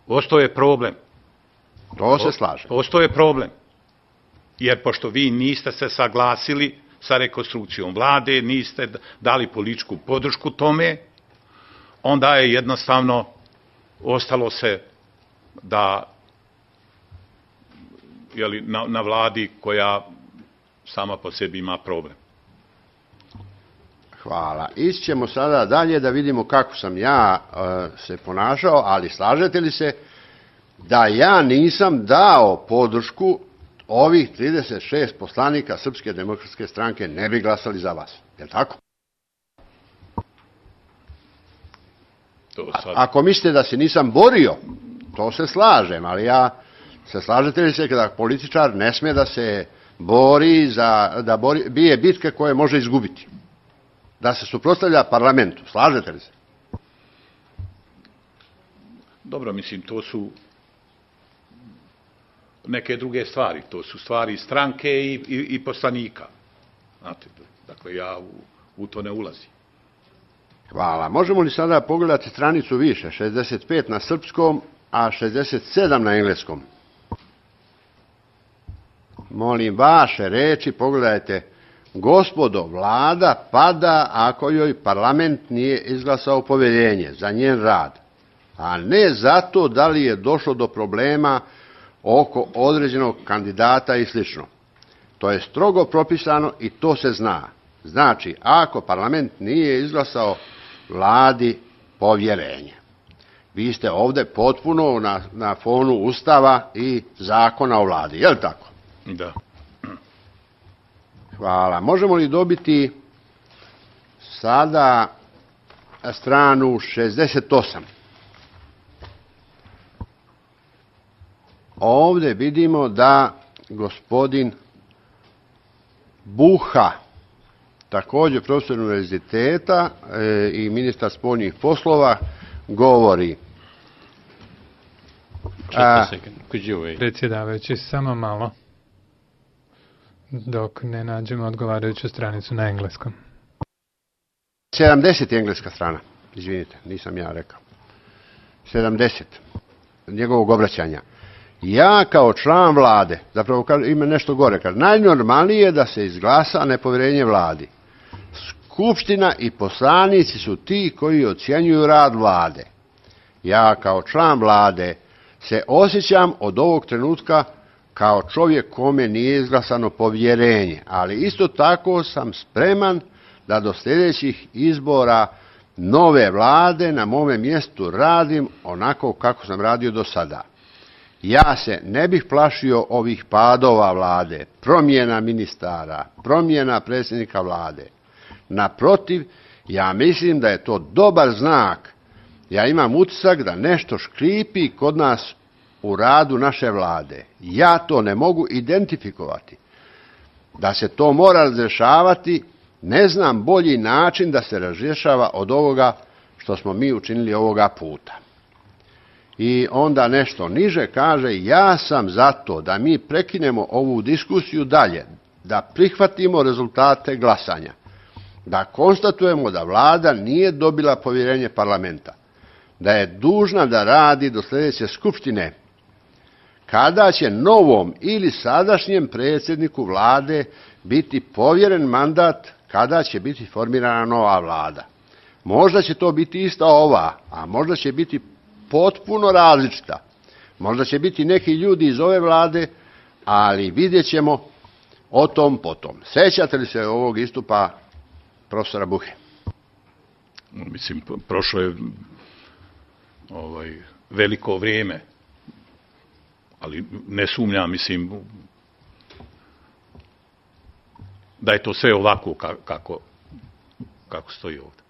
Ostao je problem. To se slaže. Ostao je problem. Jer pošto vi niste se saglasili sa rekonstrukcijom vlade, niste dali političku podršku tome, onda je jednostavno ostalo se da na vladi koja sama po sebi ima problem. Hvala. Ići ćemo sada dalje da vidimo kako sam ja se ponašao, ali slažete li se da ja nisam dao podršku ovih 36 poslanika Srpske demokratske stranke ne bi glasali za vas? Je li tako? Ako mislite da se nisam borio, to se slažem, ali slažete li se da političar ne sme da se bori, bije bitke koje može izgubiti? Da se suprotstavlja parlamentu. Slažete li se? Dobro, mislim, to su neke druge stvari. To su stvari stranke i poslanika. Znate, dakle, ja u to ne ulazim. Hvala. Možemo li sada pogledati stranicu više? 65 na srpskom, a 67 na engleskom. Molim vaše reči, pogledajte. Gospodo, vlada pada ako joj parlament nije izglasao povjerenje za njen rad, a ne zato da li je došlo do problema oko određenog kandidata i sl. To je strogo propisano i to se zna. Znači, ako parlament nije izglasao vladi povjerenje. Vi ste ovdje potpuno na fonu Ustava i zakona o vladi, je li tako? Da. Hvala. Možemo li dobiti sada stranu 68? Ovdje vidimo da gospodin Buha, također profesor univerziteta i ministar spoljnih poslova, govori. Predsjedavajući, samo malo, dok ne nađemo odgovarajuću stranicu na engleskom. 70 je engleska strana, izvinite, nisam ja rekao. 70 njegovog obraćanja. Ja kao član vlade, zapravo ima nešto gore, kaže, najnormalnije je da se izglasa nepovjerenje vladi. Skupština i poslanici su ti koji ocjenjuju rad vlade. Ja kao član vlade se osjećam od ovog trenutka kao čovjek kome nije izglasano povjerenje, ali isto tako sam spreman da do sljedećih izbora nove vlade na mome mjestu radim onako kako sam radio do sada. Ja se ne bih plašio ovih padova vlade, promjena ministara, promjena predsjednika vlade. Naprotiv, ja mislim da je to dobar znak. Ja imam utisak da nešto škripi kod nas u radu naše vlade. Ja to ne mogu identifikovati. Da se to mora razrješavati, ne znam bolji način da se razrješava od ovoga što smo mi učinili ovoga puta. I onda nešto niže kaže, ja sam za to da mi prekinemo ovu diskusiju dalje, da prihvatimo rezultate glasanja, da konstatujemo da vlada nije dobila povjerenje parlamenta, da je dužna da radi do sljedeće skupštine, kada će novom ili sadašnjem predsjedniku vlade biti povjeren mandat, kada će biti formirana nova vlada. Možda će to biti ista ova, a možda će biti potpuno različita. Možda će biti neki ljudi iz ove vlade, ali vidjet ćemo o tom potom. Sjećate li se ovog istupa profesora Buhe? Mislim, prošlo je veliko vrijeme, ali ne sumnjam, mislim, da je to sve ovako kako stoji ovdje.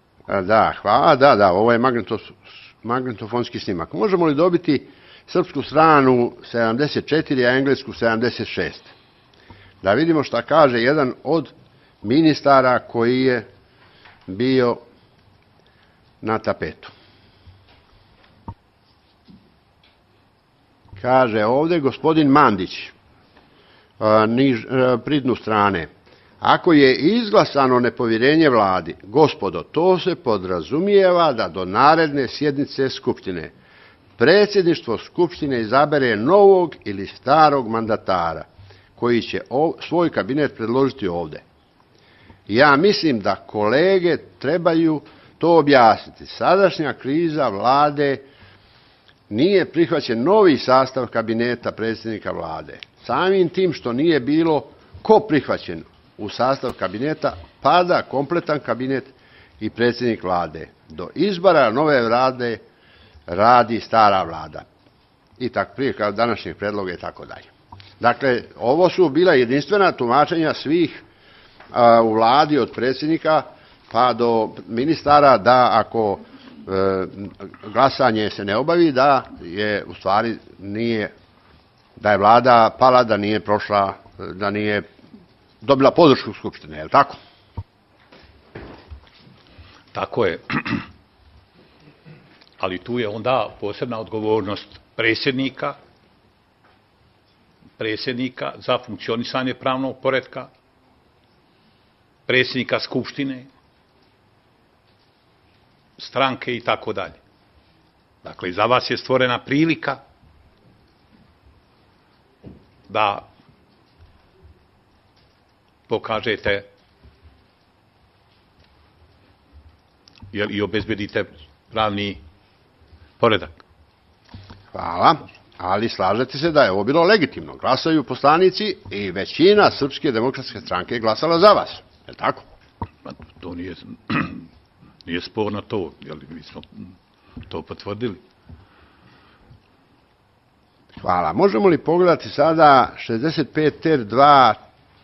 Da, hvala, da, ovo je magnetofonski snimak. Možemo li dobiti srpsku stranu 74, a englesku 76? Da vidimo šta kaže jedan od ministara koji je bio na tapetu. Kaže ovdje gospodin Mandić, pridnu strane. Ako je izglasano nepovjerenje vladi, gospodo, to se podrazumijeva da do naredne sjednice skupštine predsjedništvo Skupštine izabere novog ili starog mandatara koji će svoj kabinet predložiti ovdje. Ja mislim da kolege trebaju to objasniti. Sadašnja kriza vlade nije prihvaćen novi sastav kabineta predsjednika vlade. Samim tim što nije bilo ko prihvaćen u sastav kabineta, pada kompletan kabinet i predsjednik vlade. Do izbora nove vlade radi stara vlada. I tako prije kao današnjeg predloga i tako dalje. Dakle, ovo su bila jedinstvena tumačenja svih u vladi od predsjednika pa do ministara da ako glasanje se ne obavi da je u stvari nije, da je vlada pala, da nije prošla, da nije dobila podršku Skupštine, je li tako? Tako je. Ali tu je onda posebna odgovornost predsjednika za funkcionisanje pravnog poretka, predsjednika Skupštine, stranke i tako dalje. Dakle, za vas je stvorena prilika da pokažete i obezbedite pravni poredak. Hvala, ali slažete se da je ovo bilo legitimno. Glasaju poslanici i većina Srpske demokratske stranke je glasala za vas. Je li tako? To nije sporno to, jer mi smo to potvrdili. Hvala. Možemo li pogledati sada 65 ter 2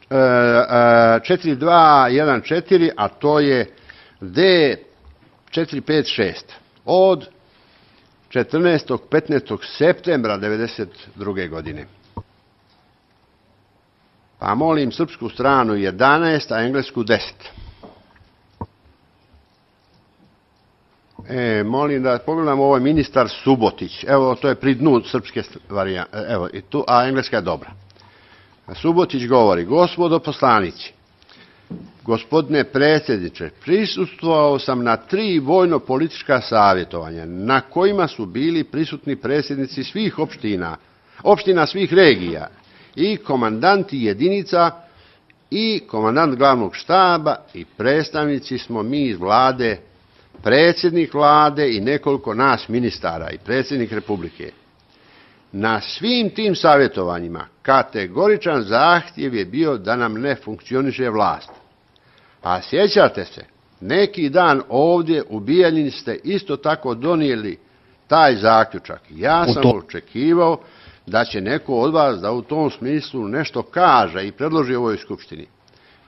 4214, a to je D456 od 14. 15. septembra 1992. godine. Pa molim srpsku stranu 11, a englesku 10. Molim da pogledamo, ovo je ministar Subotić. Evo, to je pri dnu srpske varijante. Evo, i tu, a engleska je dobra. Subotić govori: gospodo poslanici, gospodine predsjedniče, prisustvovao sam na 3 vojno-politička savjetovanja na kojima su bili prisutni predsjednici svih opština svih regija i komandanti jedinica i komandant glavnog štaba i predstavnici smo mi iz vlade, predsjednik vlade i nekoliko nas ministara i predsjednik Republike. Na svim tim savjetovanjima kategoričan zahtjev je bio da nam ne funkcioniše vlast. A sjećate se, neki dan ovdje u Bijeljini ste isto tako donijeli taj zaključak. Ja sam očekivao da će neko od vas da u tom smislu nešto kaže i predloži ovoj skupštini.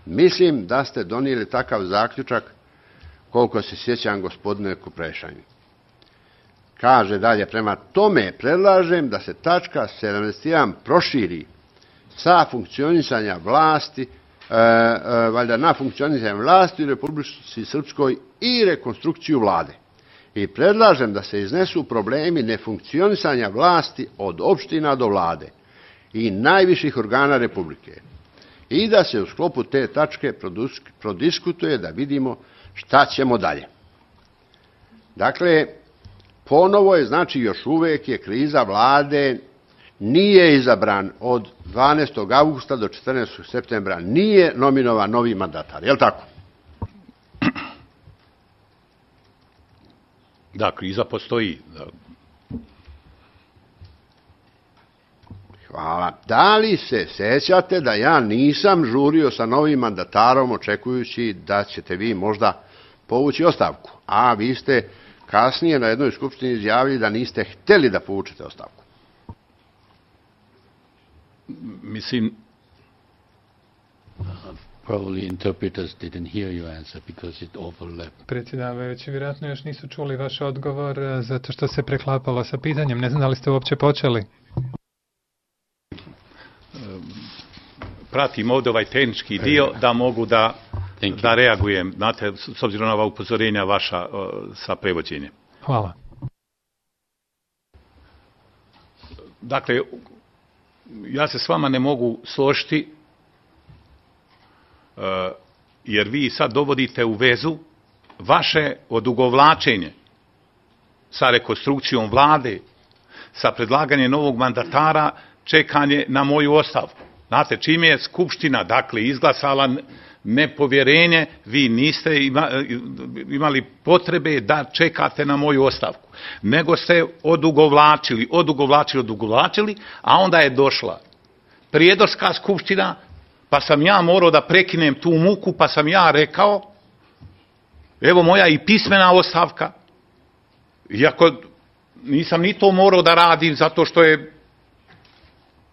Mislim da ste donijeli takav zaključak, koliko se sjećam, gospodine Kuprešani. Kaže dalje, prema tome predlažem da se tačka 71 proširi sa funkcionisanja vlasti, valjda na funkcionisanje vlasti u Republici Srpskoj i rekonstrukciju vlade. I predlažem da se iznesu problemi nefunkcionisanja vlasti od opština do vlade i najviših organa Republike. I da se u sklopu te tačke prodiskutuje da vidimo šta ćemo dalje. Dakle, ponovo je, znači još uvijek je kriza vlade, nije izabran od 12. augusta do 14. septembra, nije nominovan novi mandatar, je li tako? Da, kriza postoji. Hvala. Da li se sjećate da ja nisam žurio sa novim mandatarom očekujući da ćete vi možda povući ostavku, a vi ste kasnije na jednoj skupštini izjavili da niste htjeli da povučete ostavku? Mislim, probably interpreters didn't hear your answer because it overlapped. Predsjedavajući, vjerojatno još nisu čuli vaš odgovor zato što se preklapalo sa pitanjem. Ne znam da li ste uopće počeli. pratim ovdje ovaj tehnički dio da mogu da reagujem, znate, s obzirom na ova upozorenja vaša sa prevođenjem. Hvala. Dakle, ja se s vama ne mogu složiti, jer vi sad dovodite u vezu vaše odugovlačenje sa rekonstrukcijom vlade sa predlaganjem novog mandatara čekanje na moju ostavku. Znate, čim je Skupština, dakle, izglasala nepovjerenje, vi niste imali potrebe da čekate na moju ostavku, nego ste odugovlačili, a onda je došla prijedorska skupština, pa sam ja morao da prekinem tu muku, pa sam ja rekao, evo moja i pismena ostavka, iako nisam ni to morao da radim zato što je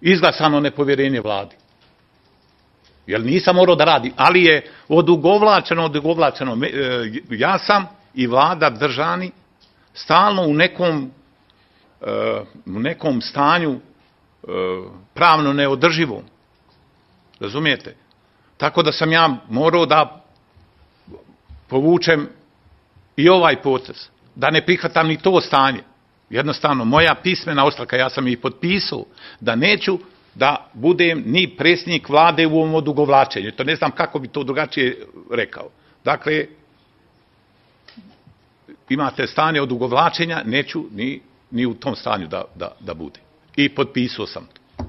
izglasano nepovjerenje vladi. Jer nisam morao da radim, ali je odugovlačeno. Ja sam i vlada držani stalno u nekom stanju pravno neodrživom. Razumijete? Tako da sam ja morao da povučem i ovaj potez, da ne prihvatam ni to stanje. Jednostavno, moja pismena ostavka, ja sam ih potpisao, da neću da budem ni predsjednik vlade u ovom odugovlačenju. To ne znam kako bi to drugačije rekao. Dakle, imate stanje odugovlačenja, neću ni u tom stanju da budem. I potpisao sam to.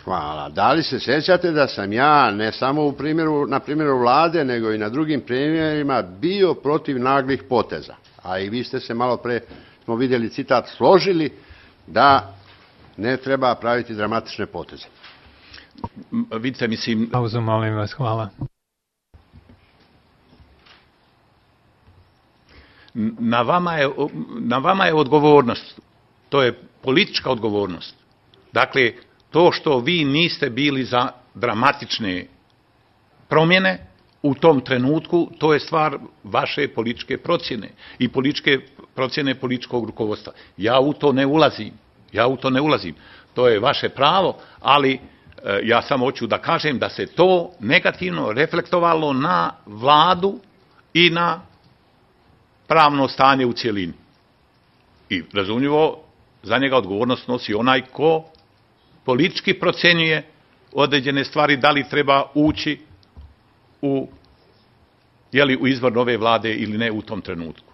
Hvala. Da li se sjećate da sam ja, ne samo na primjeru vlade, nego i na drugim primjerima, bio protiv naglih poteza? A i vi ste se malo pre, smo vidjeli citat, složili da ne treba praviti dramatične poteze. Vidite, mislim... Pauzu, molim vas, hvala. Na vama je odgovornost. To je politička odgovornost. Dakle, to što vi niste bili za dramatične promjene u tom trenutku, to je stvar vaše političke procjene i političke procjene političkog rukovodstva. Ja u to ne ulazim. To je vaše pravo, ali ja samo hoću da kažem da se to negativno reflektovalo na vladu i na pravno stanje u cjelini. I razumljivo, za njega odgovornost nosi onaj ko politički procjenjuje određene stvari, da li treba ući u izbor nove vlade ili ne u tom trenutku.